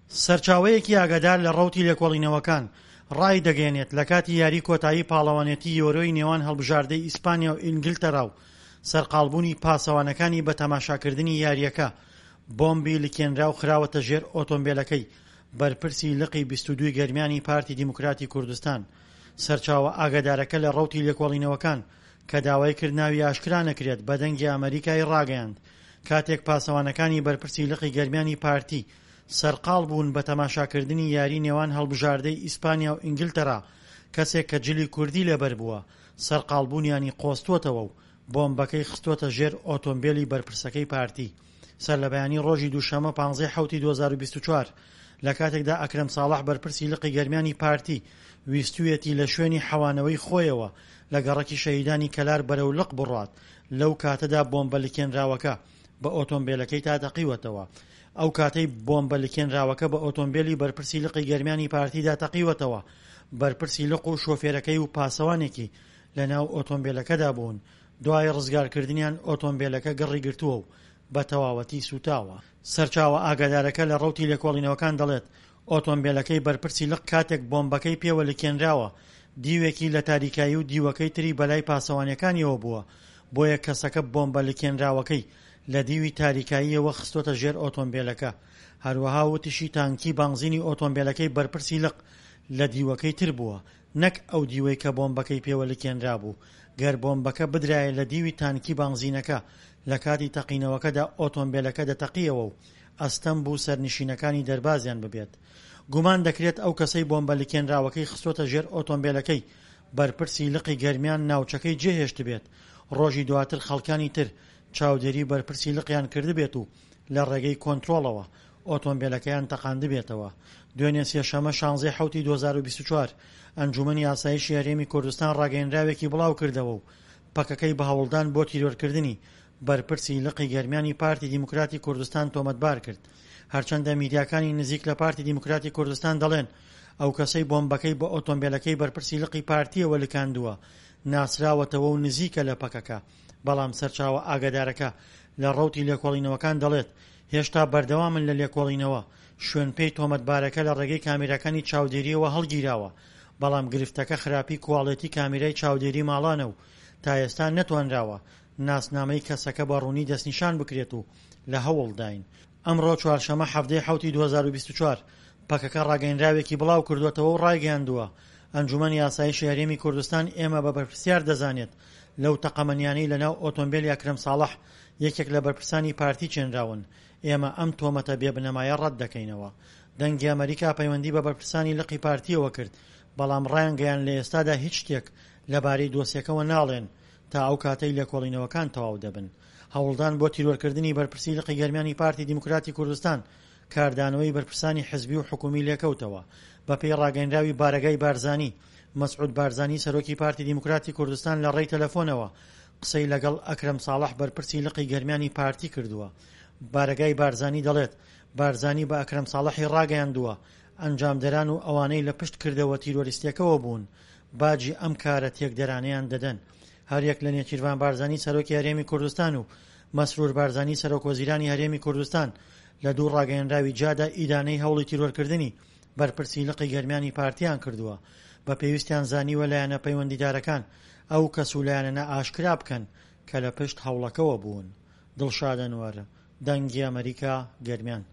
سەرچاوەیەکی ئاگادار لە ڕەوتی لێکۆڵینەوەکان ڕایدەگەیەنێت، لە کاتی یاری کۆتایی پاڵەوانێتی یۆرۆی نێوان هەڵبژاردەی ئیسپانیا و ئینگلتەرا و سەرقاڵبوونی پاسەوانەکانی بە تەماشاکردنی یارییەکە، بۆمبی لکێنراو خراوەتە ژێر ئۆتۆمبێلەکەی بەرپرسی لقی 22 ی گەرمیانی پارتی دیموکراتی کوردستان. سەرچاوە ئاگادارەکە لە ڕەوتی لێکۆڵینەوەکان کە داوای کرد ناوی ئاشکرا نەکرێت بە دەنگی ئەمەریکای ڕاگەیاند کاتێک پاسەوانەکانی بەرپرسی لقی گەرمیانی پارتی سەرقاڵ بوون بە تەماشاکردنی یاری نێوان هەڵبژاردەی ئیسپانیا و ئینگلتەرا، کەسێک کە جلی کوردی لەبەر بووە، سەرقاڵبوونیانی قۆستووەتەوە و بۆمبەکەی خستووەتە ژێر ئۆتۆمبێلی بەرپرسەکەی پارتی. سەرلەبەیانی ڕۆژی دووشەممە پانزەی حەوتی 2024، لە کاتێکدا ئەکرەم ساڵح بەرپرسی لقی گەرمیانی پارتی ویستوویەتی لە شوێنی حەوانەوەی خۆیەوە لە گەڕەکی شەهیدانی کەلار بەرەو لق بڕوات، لەو کاتەدا بۆمبە لکێنراوەکە بە ئۆتۆمبێلەکەی تا تەقیوەتەوە. ئەو کاتەی بۆمبە لکێنراوەکە بە ئۆتۆمبێلی بەرپرسی لقی گەرمیانی پارتیدا تەقیوەتەوە، بەرپرسی لق و شۆفێرەکەی و پاسەوانێکی لەناو ئۆتۆمبێلەکەدا بوون، دوای ڕزگارکردنیان ئۆتۆمبێلەکە گڕی گرتووە و بە تەواوەتی سووتاوە. سەرچاوە ئاگادارەکە لە ڕەوتی لێکۆڵینەوەکان دەڵێت، ئۆتۆمبێلەکەی بەرپرسی لق کاتێک بۆمبەکەی پێوە لکێنراوە، دیوێکی لە تاریکایی و دیوەکەی تری بەلای پاسەوانەکانیەوە بووە، بۆیە کەسەکە بۆمبە لکێنراوەکەی لە دیوی تاریکاییەوە خستۆتە ژێر ئۆتۆمبێلەکە. هەروەها وتیشی تانکی بانزینی ئۆتۆمبێلەکەی بەرپرسی لق لە دیوەکەی تر بووە، نەک ئەو دیوەی کە بۆمبەکەی پێوە لکێنرابوو، گەر بۆمبەکە بدرایە لە دیوی تانکی بانزینەکە لە کاتی تەقینەوەکەدا ئۆتۆمبێلەکە دەتەقیەوە و ئەستەم بوو سەرنشینەکانی دەربازیان ببێت. گومان دەکرێت ئەو کەسەی بۆمبە لکێنراوەکەی خستۆتە ژێر ئۆتۆمبێلەکەی بەرپرسی لقی گەرمیان ناوچەکەی جێهێشتبێت، ڕۆژی دواتر خەڵکانی تر چاودێری بەرپرسی لقیان کردبێت و لە ڕێگەی کۆنترۆڵەوە ئۆتۆمبێلەکەیان تەقاندبێتەوە. دوێنێ سێشەممە شانزەی حەوتی 2024، ئەنجوومەنی ئاسایشی هەرێمی کوردستان ڕاگەیەنراوێکی بڵاوکردەوە و پەکەکەی بە هەوڵدان بۆ تیرۆرکردنی بەرپرسی لقی گەرمیانی پارتی دیموکراتی کوردستان تۆمەتبار کرد. هەرچەندە میدیاکانی نزیک لە پارتی دیموکراتی کوردستان دەڵێن ئەو کەسەی بۆمبەکەی بە ئۆتۆمبێلەکەی بەرپرسی لقی پارتییەوە لکاندووە ناسراوەتەوە و نزیکە لە پەکەکە، بەڵام سەرچاوە ئاگادارەکە لە ڕەوتی لێکۆڵینەوەکان دەڵێت هێشتا بەردەوامن لە لێکۆڵینەوە، شوێنپێی تۆمەتبارەکە لە ڕێگەی کامێراکانی چاودێرییەوە هەڵگیراوە، بەڵام گرفتەکە خراپی کواڵێتی کامێرای چاودێری ماڵانە و تا ئێستا نەتوانراوە ناسنامەی کەسەکە بە ڕوونی دەستنیشان بکرێت و لە هەوڵداین. ئەمڕۆ چوارشەمە حەڤدەی حەوتی 2024، پەکەکە ڕاگەیەنراوێکی بڵاوکردووەتەوە و ڕایگەیاندووە، ئەنجومەنی ئاسایشی هەرێمی کوردستان ئێمە بە بەرپرسیار دەزانێت لەو تەقەمەنیانەی لەناو ئۆتۆمبێلی ئەکرەم ساڵح یەکێک لە بەرپرسانی پارتی چێنراون، ئێمە ئەم تۆمەتە بێ بنەمایە ڕەت دەکەینەوە. دەنگی ئەمەریکا پەیوەندی بە بەرپرسانی لقی پارتییەوە کرد، بەڵام ڕایانگەیاند لە ئێستادا هیچ شتێک لەبارەی دۆسیەکەوە ناڵێن تا ئەو کاتەی لێکۆڵینەوەکان تەواو دەبن. هەوڵدان بۆ تیرۆرکردنی بەرپرسی لقی گەرمیانی پارتی دیموکراتی کوردستان کاردانەوەی بەرپرسانی حزبی و حکومی لێکەوتەوە. بەپێی ڕاگەیەنراوی بارەگای بارزانی، مەسعود بارزانی سەرۆکی پارتی دیموکراتی کوردستان لە ڕێی تەلەفۆنەوە قسەی لەگەڵ ئەکرەم ساڵح بەرپرسی لقی گەرمیانی پارتی کردووە. بارەگای بارزانی دەڵێت، بارزانی بە ئەکرەم ساڵحی ڕاگەیاندووە، ئەنجامدەران و ئەوانەی لە پشت کردەوە تیرۆریستیەکەوە بوون باجی ئەم کارە تێکدەرانەیان دەدەن. هەریەک لە نێچیرڤان بارزانی سەرۆکی هەرێمی کوردستان و مەسرور بارزانی سەرۆکوەزیرانی هەرێمی کوردستان لە دوو ڕاگەیەنراوی جیادا ئیدانەی هەوڵی تیرۆرکردنی بەرپرسی لقی گەرمیانی پارتیان کردووە بە پێویستیان زانیوە لایەنە پەیوەندیدارەکان ئەو کەس و لایەنانە ئاشکرا بکەن کە لە پشت هەوڵەکەوە بوون. دڵشاد ئەنوەر، دەنگی ئەمەریکا، گەرمیان.